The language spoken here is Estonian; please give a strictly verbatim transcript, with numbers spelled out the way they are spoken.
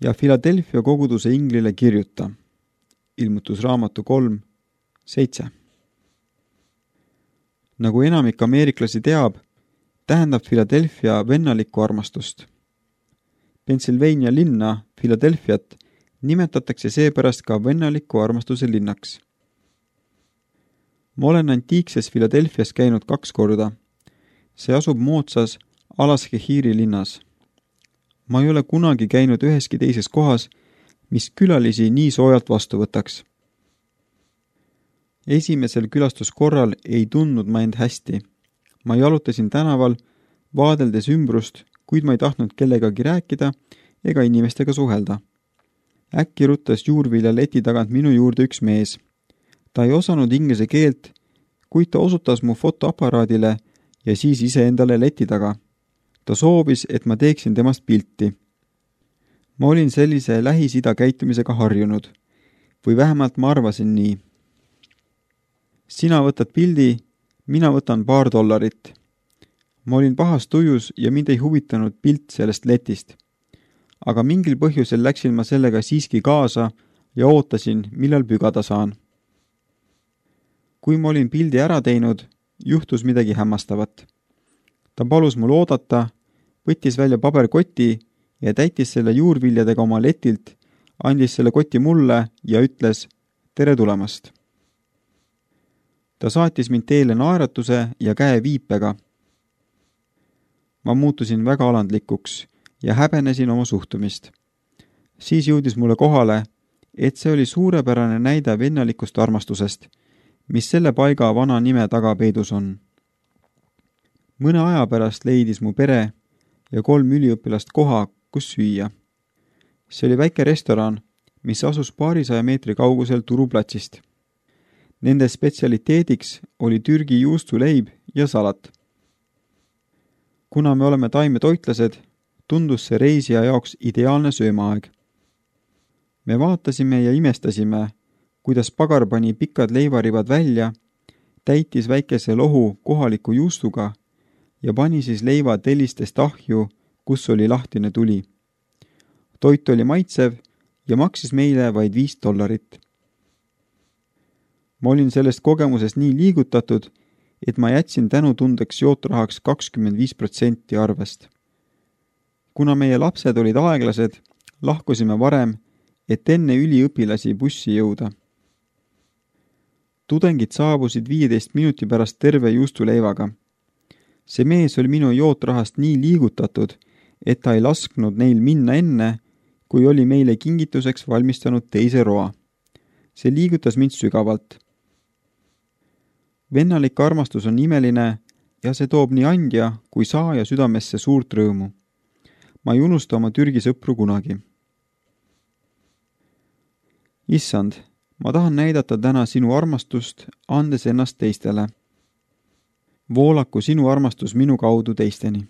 ja Philadelphia koguduse inglile kirjuta. Ilmutusraamatu kolm, seitse. Nagu enamik ameeriklasi teab, tähendab Philadelphia vennalikku armastust. Pennsylvania linna, Philadelphiat, nimetatakse seepärast ka vennaliku armastuse linnaks. Ma olen antiikses Philadelphias käinud kaks korda. See asub moodsas Alaskehiri linnas. Ma ei ole kunagi käinud üheski teises kohas, mis külalisi nii soojalt vastu võtaks. Esimesel külastuskorral ei tundnud ma end hästi. Ma jalutasin tänaval, vaadeldes ümbrust, kuid ma ei tahtnud kellegagi rääkida ega inimestega suhelda. Äkki ruttas juurvilja leti tagant minu juurde üks mees. Ta ei osanud inglise keelt, kuid ta osutas mu fotoaparaadile ja siis ise endale leti taga. Ta soovis, et ma teeksin temast pilti. Ma olin sellise Lähis-Ida käitumisega harjunud. Või vähemalt ma arvasin nii. Sina võtad pildi, mina võtan paar dollarit. Ma olin pahas tujus ja mind ei huvitanud pilt sellest letist. Aga mingil põhjusel läksin ma sellega siiski kaasa ja ootasin, millal pügada saan. Kui ma olin pildi ära teinud, juhtus midagi hämmastavat. Ta palus mul oodata, võttis välja paberkoti ja täitis selle juurviljadega oma letilt, andis selle koti mulle ja ütles tere tulemast. Ta saatis mind teele naeratuse ja käe viipega. Ma muutusin väga alandlikuks ja häbenesin oma suhtumist. Siis jõudis mulle kohale, et see oli suurepärane näide vennalikust armastusest, mis selle paiga vana nime taga peidus on. Mõne aja pärast leidis mu pere ja kolm üliõpilast koha, kus süüa. See oli väike restoran, mis asus paarisaja meetri kaugusel turuplatsist. Nende spetsialiteediks oli Türgi juustuleib ja salat. Kuna me oleme taimetoitlased, tundus see reisija jaoks ideaalne söömaaeg. Me vaatasime ja imestasime, kuidas pagar pani pikad leivarivad välja, täitis väikese lohu kohaliku juustuga ja pani siis leiva tellistest ahju, kus oli lahtine tuli. Toit oli maitsev ja maksis meile vaid viis dollarit. Ma olin sellest kogemusest nii liigutatud, et ma jätsin tänutundeks jootrahaks kakskümmend viis protsenti arvest. Kuna meie lapsed olid aeglased, lahkusime varem, et enne üliõpilasi bussi jõuda. Tudengid saabusid viieteist minuti pärast terve juustuleivaga. See mees oli minu jootrahast nii liigutatud, et ta ei lasknud neil minna enne, kui oli meile kingituseks valmistanud teise roa. See liigutas mind sügavalt. Vennalik armastus on imeline ja see toob nii andja kui saaja südamesse suurt rõõmu. Ma ei unusta oma Türgi sõpru kunagi. Issand, ma tahan näidata täna sinu armastust, andes ennast teistele. Voolaku sinu armastus minu kaudu teisteni.